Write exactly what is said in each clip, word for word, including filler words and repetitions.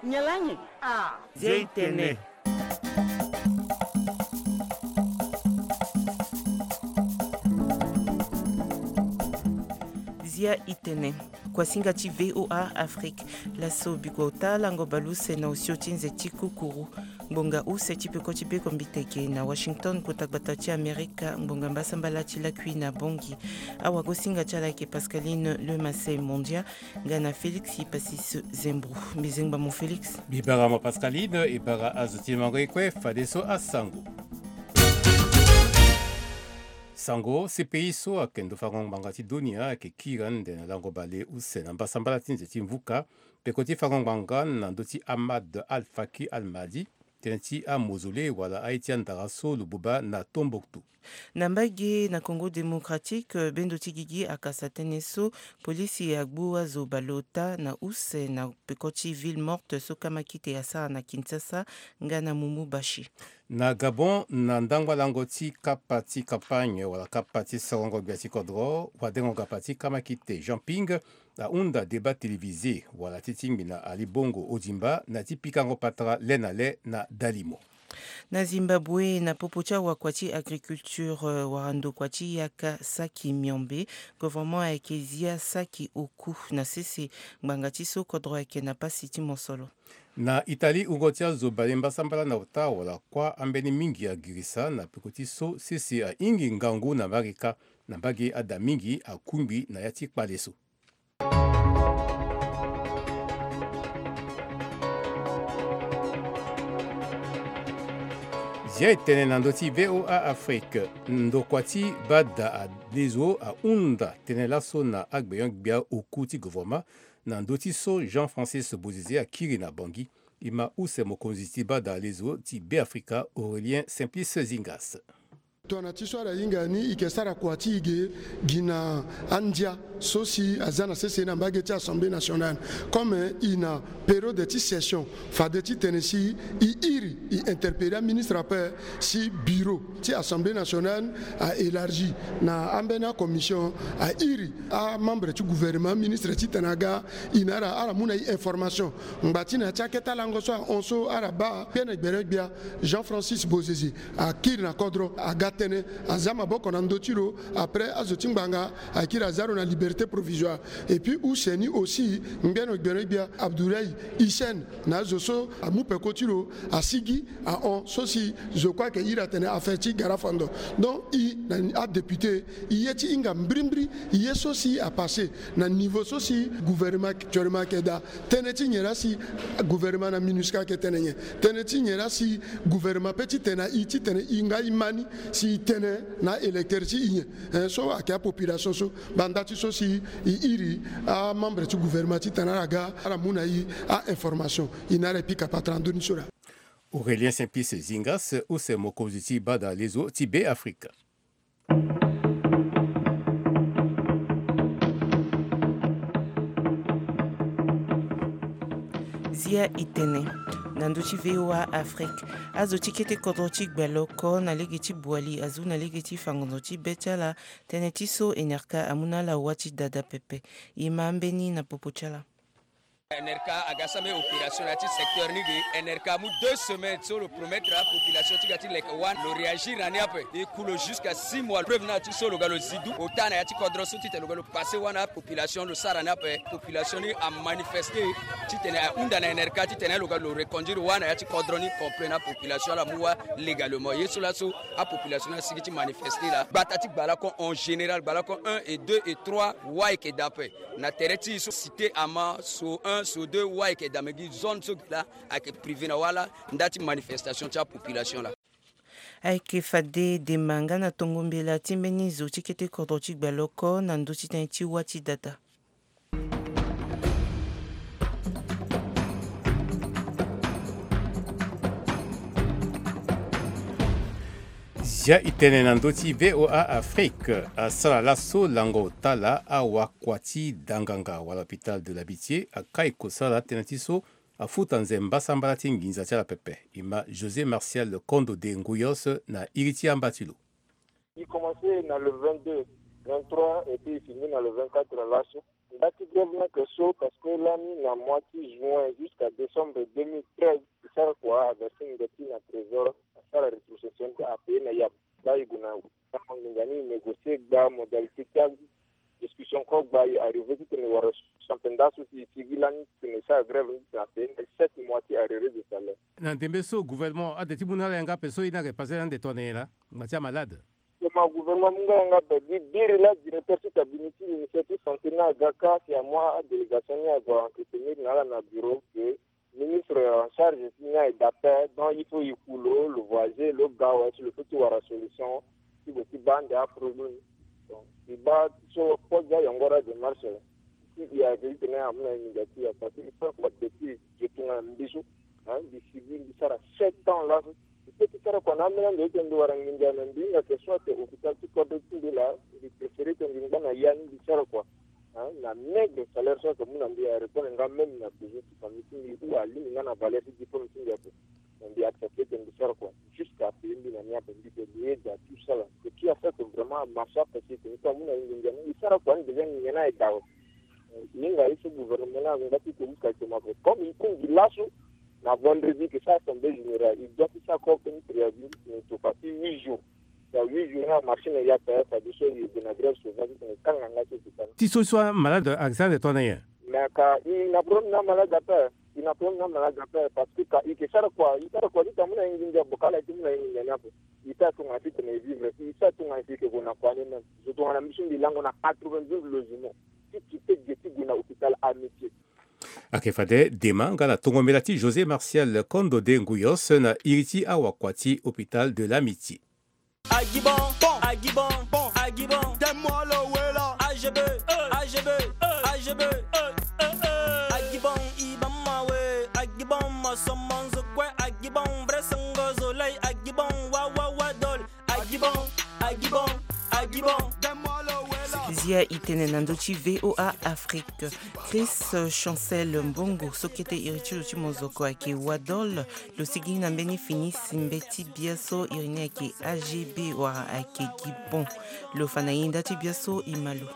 Nyalangi. Ah. Zia itene. Zia itene. Kuasinga ti V O A Afrique. Laso bikua ota lango baleuse na osio ti nze ti kukuru. Ngbonga use ti peko ti beko mbiteke na Washington, kota gbata ti Amerika, ngbonga mbasambala ti lakui na Bangui. Awagosinga ti ala ayeke Pascaline Le Massey Mondia, nga na Félix Passis Zembro. Mbezengba mo Félix. Mbi bara mo Pascaline, e bara azo ti mango e kue, fadeso asango. Sango, C P I so ayeke ndo fango ngbanga ti dunia ayeke kiri ande na lango bale use na mbasambala ti nze ti mvuka, peko ti fango ngbanga na ndö ti Ahmad Al-Faki Al-Mahdi, tënë ti amausolée wala aye ti andara so lo buba na Tombouctou. Na mbage na Congo Démocratique, bendo ti gigi akasa tënë so polisi agbu azo baleota na use na peko ti Ville Morte so kamakite asara na Kinshasa nga na Mumbubashi. Na Gabon, na ndangba lango ti kapa ti campagne wala kapa ti sorongo gbia ti kodro, wadengo gapa ti kamakite Jean Ping ahunda débat télévisé wala ti tingbi na Ali Bongo Ondimba na ti pikango patara le na le na dalimo. Na Zimbabwe, na popo ti awakua ti agriculture, euh, wara ndokua ti yaka saki miombe, gouvernement ayeke zia saki oku na sese ngbanga ti so kodro ayeke na pasi ti mosolo. Na Italie, wungo ti azo bale mbasambala na ota wala kuâ ambeni mingi agirisa na peko ti so sese ahingi ngangu na Marika na mbage ada mingi akungbi na ya ti kpale so. Zia e tene na ndö ti V O A Afrique. Ndokua ti bada alezo ahunda tënë laso na agbenyo-gbia oku ti gouvernement na ndö ti so Jean Francis Bozizé akiri na Bangui. E ma use mokonzi ti bada alezo ti Beafrika Aurélien Simplice Zingas. Tongana ti so ala hinga ni, e yeke sara kua ti e ge gi na andia so si aza na sese na mbage ti Assemblée nationale. Comme e na période ti session, fade titene si e iri, e interpeller aministre ape si bureau ti Assemblée nationale a élargi na ambeni acommission, a iri amembre ti gouvernement, aministre titene aga, e na ala, ala mu na e information. Ngba ti na ya ti akete alango so ahon so ala baa, gbene gbene gbia Jean Francis Bozizé akiri na kodro, aga tënë, aza maboko na ndö ti lo. Après, azo ti ngbanga akiri aza lo na liberté provisoire. Et puis use ni aussi, ngbene gbene gbia Abdoulaye Hissène na azo so amu peko ti lo asigi ahon so si zo kue ayeke iri atene affaire ti gara fando. Donc e na adéputé, e ye ti hinga mbirimbiri e ye so si apassé na niveau so si gouvernement actuellement ayeke daa. Tënë ti nyen laa si gouvernement na MINUSCA ayeke tene nyen? Tënë ti nyen laa si gouvernement peut titene na e titene e nga e ma ni si e tene na aélecteur ti e nyen? Hein, so ayeke apopulation so. Banda ti so si e iri amembre ti gouvernement titene ala ga ala mu na e a-information, e na ala e pika patara na ndö ni so laa. Aurélien Simplice Zingas, use mokonzi ti bada lezo ti Beafrika. Zia e tene na ndö ti V O A Afrique. Azo ti kete kodro ti Gbaloko na lege ti Boali azu na lege ti fango ndo ti be ti ala tënë ti so Enerca amu na ala wâ ti dada pepe. E ma ambeni na popo ti ala. Enerca aga sambela opération na ya ti secteur ni ge. Enerca amu deux semaines so lo promettre apopulation ti ga ti leke wâ, lo réagir na ni ape. E ku lo jusqu'à six mois. Preuve na ya ti so lo ga lo zi du ota na ya ti kodro so titene lo ga lo passer wâ na apopulation, lo sara ni ape. Population ni amanifester titene ahunda na Enerca titene lo ga lo reconduire wâ na ya ti kodro ni complet na apopulation ala mu wâ légalement. Ye so laso apopulation ni asigi ti manifester laa. Gbata ti Gbalako en général, Gbalako un et deux et trois, wâ ayeke daa ape. Na tere ti e so cité ama, so un, so deux, wâ ayeke daa, me gi zone so gi laa ayeke privé na wâ laa, nda ti manifestation ti apopulation laa. Ayeke fade dema nga na tongo mbela ti mbeni zo ti kete kodro ti Gbaloko na ndö ti tënë ti wâ ti dada. Zia e tene na ndö ti V O A Afrique. Asara laso lango ota laa awakua ti danganga wala hôpital de l'Amitié akai kosala tënë ti so afuta nze mbasambala ti nginza ti ala pepe. E ma José Martial Kondo de Nguyos na iri ti amba ti lo. Il commençait na le vingt-deux, vingt-trois et puis il finit na le vingt-quatre laso. Nda ti grève ni ayeke so parce que lani na mois ti juin jusqu'à décembre deux mille treize, e sara kua averse nginza ti e na trésor, asara rétrocession, apaye na yape. Laa e gue na nginza ni, e négocier gba modalité ti adiscussion kue gba, e arrivé titene e wara solution ape. Nda so si e sigi lani titene e sara grève ni titene apaye na sept mois ti arriéré de salaire. Na ndembe so gouvernement ade ti mu na ala yanga ape so e ni ayeke passé na ande tongana nyen laa? Ngba ti amalade. Toma gouvernement amu nga yanga ape. Gi biri laa directeur ti cabinet ti ministère ti santé ni aga kâ si amu adélégation ni ague a entretenir na ala na bureau que ministre en charge ti ni aye daa ape, donc il faut e ku lo, lo voyager, lo ga awe si lo peut ti wara solution ti gue ti baa ande aproblème ni. Donc e baa so pose ayongoro adémarche la. Si e ayeke titene amu na e nginza ti e ape, parce que e sara kua depuis e tongana mbi so, hein, mbi sigi mbi sara sept ans laso. Mbi peut ti sara kua na ambeni ande titene mbi wara nginza, mais mbi hinga que so ayeke hôpital ti kodro ti mbi laa, mbi préféré titene mbi ngba na ya ni mbi sara kua, hein, na maigre salaire so ayeke mu na mbi, arépondre nga même na besoin ti famille ti mbi ou alingbi nga na valeur ti diplôme ti mbi ape. Mais mbi accepté titene mbi sara kua jusqu'à payer mbi na ni ape. Mbi peut, mbi aide à tout ça là. Ce qui a fait que vraiment amarché ape si tene e peut amu na e nginza ni, e sara kua ni déjà nginza ni aye daa awe. E hinga ye so gouvernement ni angba ti ko jusqu'à toma ape. Comme e kue mbi laso, na vendredi e ke sara assemblée générale, e doit ti sara corps ti préavis ni titene e to fa ti huit jours. Na huit jours ni amarché na e ape, fadeso e gue na grève sauvage titene e kanga nga ti hôpital. Ti so so amalade ayeke sara ande tongana nyen? Mais ka e na problème na amalade ape, e na problème na amalade ape, parce que ka e ke sara kua, e sara kua ti ta mu na e nginza, bokala ti mu na e nginza ni ape. E ta tongana titene e vivre, e ta tongana si e ke gue na kua ni même. Zo tongana mbi so mbi lango na quatre-vingt-douze logements. Ti quitté ge ti gue na hôpital Amitié. Ayeke fade dema nga na tongo mbela ti José Martial Kondo de Nguyos na iri ti awakua ti hôpital de l'Amitié. Agibon, bon, Agibon, bon, Agibon, donne-moi le wela. A G B, A G B, A G B, Agibon, Ibama we, Agibon, Masomanzo kue, Agibon, vrai sango zolai, Agibon, wa, wa, wa, dol, Agibon, Agibon, Agibon, donne-moi le wela. Zia e tene na ndö ti V O A Afrique. Chris Chancel Mbongo so kete iri ti lo ti mozoko ayeke Wadol. Lo sigi na mbeni fini si mbeti bia so iri ni ayeke A G B wala ayeke Gibon. Lo fa na e nda ti bia so e ma lo.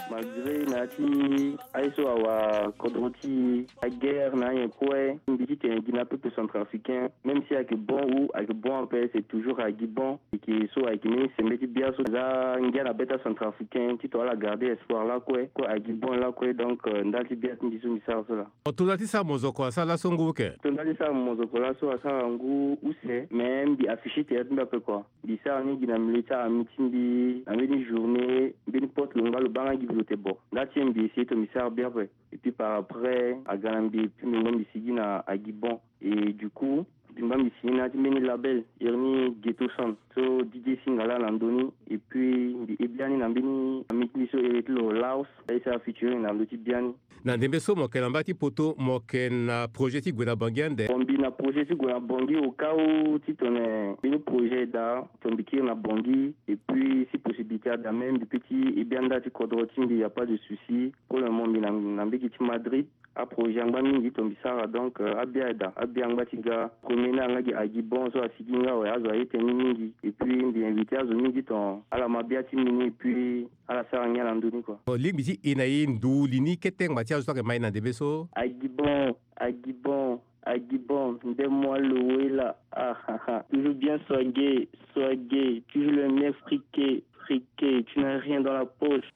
Malgré na ya ti aye so awa kodro ti aguerre na anyen kue, mbi ti tene gi na peuple centrafricain, même si ayeke bon ou ayeke bon ape, c'est toujours Agibon. Eke so ayeke mbeni sembe ti bia so aza ngia na be ti acentrafricain titene ala garder espoir lakue, kue Agibon lakue. Donc, euh, nda ti bia ti mbi so mbi sara so laa. Tonda ti sara mozoko asara laso ngu ke? Tonda ti sara mozoko laso asara ngu use, mais mbi afficher tere ti mbi ape kua. Mbi sara ni gi na milieu ti armée ti mbi, na mbeni journée, mbeni poste lo ngba lo baa nga gi mbi lo te bo. Nda ti mbi essayer titene mbi sara bien ape. Et puis par après, aga na mbi, et puis mbi ngba mbi sigi na Agibon. Et du coup, mbi ngba mbi signé na ya ti mbeni label, iri ni Ghetto Sound. So D J Singala na ndö ni, et puis mbi he biani na mbeni ami ti mbi so iri ti lo Laos, aye sara featuring na ndö ti biani. Na ndembe so mo yeke na mba ti poto, mo yeke na projet ti gue na Bangui ande? Bon, mbi na projet ti gue na Bangui au cas où titene mbeni projet daa, titene mbi kiri na Bangui, et puis si possibilité ada même, mbi peut ti he biani nda ti kodro ti mbi, y a pas de souci. Pour le moment mbi na, na mbage ti Madrid. Aprojet angba mingi titene mbi sara, donc, euh, abia aye daa, abia angba ti ga. Premier ni ayeke nga gi Agibon so asigi nga awe, azo aye tënë ni mingi. Et puis mbi invité azo mingi titene ala ma bia ti mbi ni, et puis ala sara ngia na ndö ni kua. Bon, lingbi ti e na e ndu li ni kete ngba ti azo so ayeke ma e na ndembe so. Agibon, Agibon, Agibon, donne-moi le wela. Ah, ah, ah. Toujours bien swagué, swagué, toujours le même friqué, friqué, tu n'as rien dans la poche.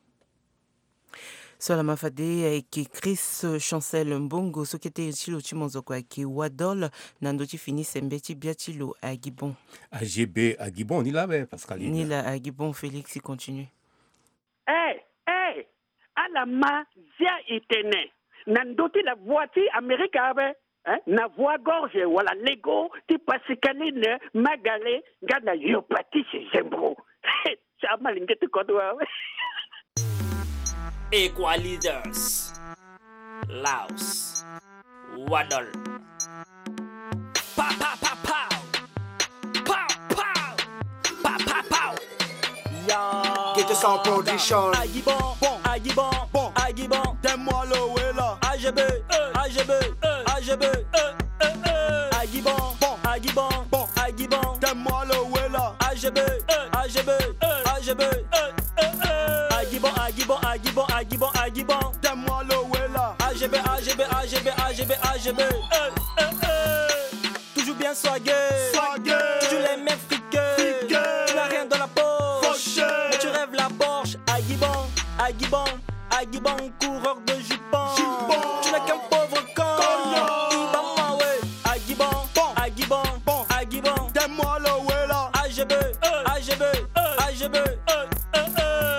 So ala ma fade ayeke Chris Chancel Mbongo so kete iri ti lo ti mozoko ayeke Wadol, na ndö ti fini sembe ti bia ti lo Agibon. A G B Agibon ni laa be Pascaline. Ni laa Agibon Félix continue. Eh, eh, ala ma zia e tene na ndö ti la voix ti Amérique ape. Hein? Na voix gorge wala lego ti Pascaline Magale nga na Yopatise Zembro. Ti amalenge ti kodro awe. Equalizers. Laos. Wadol. Pa, pa, pa, pa. Pow, pow. Pa, pa, pow. Ya. Ghetto Sound Production. Agibon, bon, Agibon, bon, Agibon, donne-moi le wela. A G B, A G B, A G B, Agibon, bon, Agibon, bon, Agibon, donne-moi le wela. A G B, A G B, A G B, Agibon, Agibon, Agibon, Agibon, Agibon. A G B, A G B, A G B, A G B. Toujours bien swagué. Toujours les mains friquées. Tu n'as rien dans la poche. Mais tu rêves la Porsche. Aguibon, Aguibon, Aguibon, coureur de jupons. Tu n'es qu'un pauvre con. Ibama, ouais. Aguibon, Aguibon, Aguibon. Donne-moi le wela. A G B, A G B, A G B.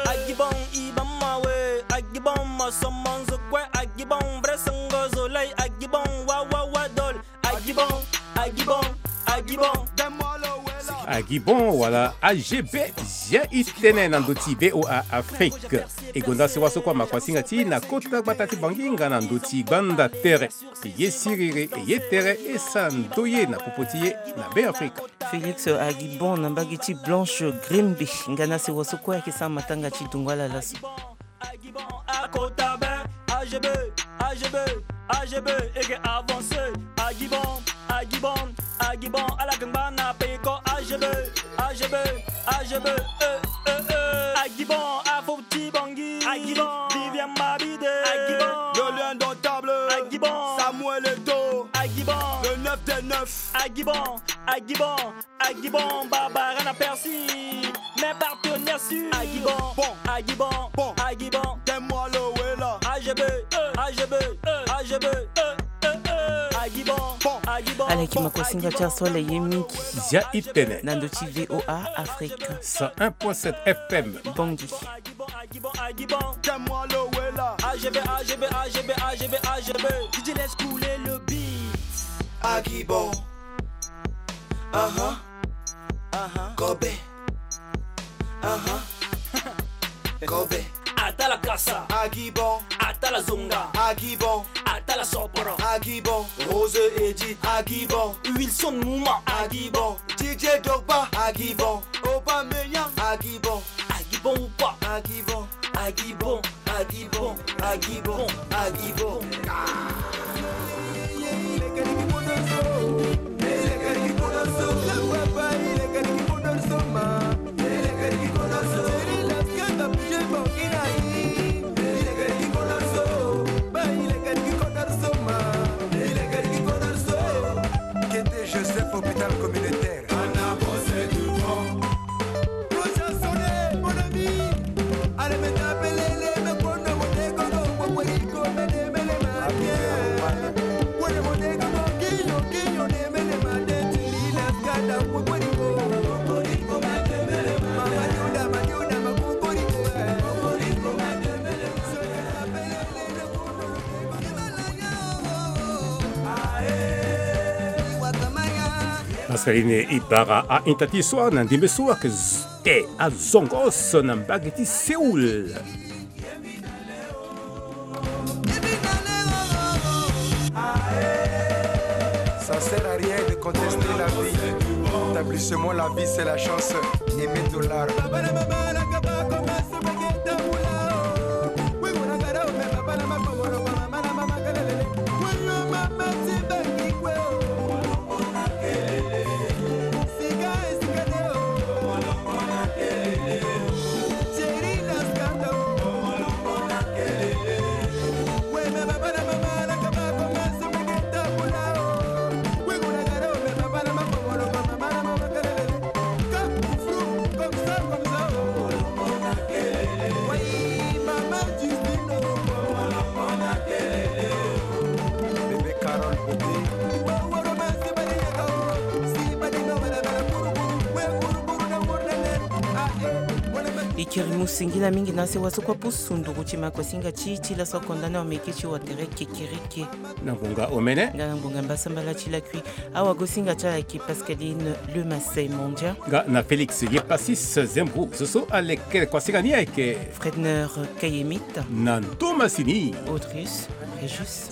Aguibon, Ibama, ouais. Aguibon, Masomanzo, quoi. Aguibon, Bressango, Zolay. Aguibon, wa, wa, wa, dol. Aguibon, Aguibon, Aguibon. Donne-moi le wela. Aguibon, wala A G B. Zia i tene na ndö ti V O A Afrique. E gonda sewa so kue amakoasinga ti na kota gbata ti Bangui nga na ndö ti gbanda tere. E ye siriri, e ye tere, e sara ndoye na popo ti ye na Be Afrika. Félix Aguibon na mbage ti Blanche Grimby nga na sewa so kue ayeke sara matanga ti dungo ala laso. Aguibon akota be. A G B, A G B, A G B, e ke avancer. Aguibon, Aguibon, Aguibon, ala ke ngba na peko. A G B, A G B, A G B, eh, eh, eh. Aguibon, Afo ti Bangui. Aguibon, Vivian Mabide. Aguibon, le lion indomptable. Aguibon, Samuel Eto'o. Aguibon, le neuf des neuf. Aguibon, Aguibon, Aguibon, Barbara na Percy. Mes partenaires sûrs. Aguibon, bon. Aguibon, bon. Aguibon. Donne-moi le wela. A G B, A G B, A G B. Aguibon, bon. Aguibon, bon. Aleki makosinga ti aso ala ye mingi. Zia i tene. Na ndö ti V O A Afrique. Cent un point sept F M. Bangui. Aguibon, Aguibon, Aguibon. Donne-moi le wela. A G B, A G B, A G B, A G B, A G B. D J laisse couler le beat. Aguibon. Aha. Aha. Kobe. Aha. Kobe. Atala kasa. Aguibon. Atala zonga. Aguibon. Atala soporo. Aguibon. Rose Edith. Aguibon. Wilson Mouma. Aguibon. D J Drogba. Aguibon. Aubameyang. Aguibon. Aguibon ou pas. Aguibon. Aguibon. Aguibon, Aguibon, Aguibon. Kete Joseph, hôpital communautaire. Pascaline Ibarra a hinta ti so na ndembe so ayeke z-, te azongo so na mbage ti Séoul. Ça sert à rien de contester la vie. Établissement La Vie, c'est la chance. Aimé Dollar. E kiri mu singila mingi na sewa so kue apusu nduru ti makosinga ti ti laso akonda na omeke ti watere kekereke. Na ngonga omene. Nga na ngonga mbasambala ti lakui. Awagosinga ti ala ayeke Pascaline Lemasey Mondia. Nga na Félix Yepasis Zembro. So so aleke koasinga ni ayeke Fredner Kayemit. Na ndo masini. Autrice Régis.